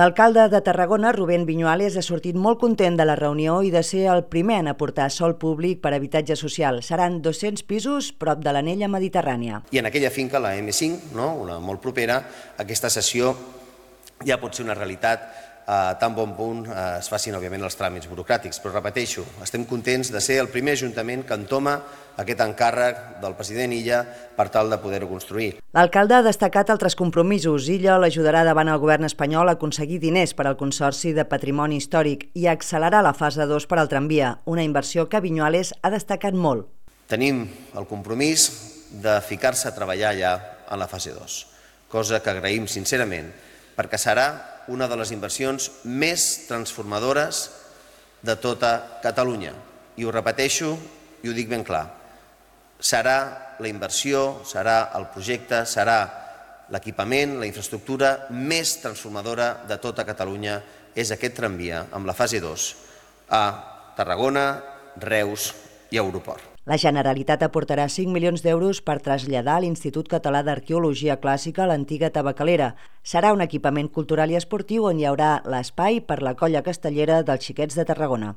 L'alcalde de Tarragona, Rubén Viñuales, ha sortit molt content de la reunió i de ser el primer en aportar sòl públic per a habitatge social. Seran 200 pisos prop de l'anella mediterrània. I en aquella finca, la M5, una molt propera, aquesta cessió ja pot ser una realitat a tan bon punt es facin, òbviament, els tràmits burocràtics. Però repeteixo, estem contents de ser el primer ajuntament que entoma aquest encàrrec del president Illa per tal de poder-ho construir. L'alcalde ha destacat altres compromisos. Illa l'ajudarà davant el govern espanyol a aconseguir diners per al Consorci de Patrimoni Històric i a accelerar la fase 2 per al tramvia, una inversió que Viñuales ha destacat molt. Tenim el compromís de ficar-se a treballar ja en la fase 2, cosa que agraïm sincerament, perquè serà una de les inversions més transformadores de tota Catalunya. I ho repeteixo i ho dic ben clar. Serà la inversió, serà el projecte, serà l'equipament, la infraestructura més transformadora de tota Catalunya. És aquest tramvia amb la fase 2 a Tarragona, Reus i Aeroport. La Generalitat aportarà 5 milions d'euros per traslladar l'Institut Català d'Arqueologia Clàssica a l'antiga Tabacalera. Serà un equipament cultural i esportiu on hi haurà l'espai per la colla castellera dels Xiquets de Tarragona.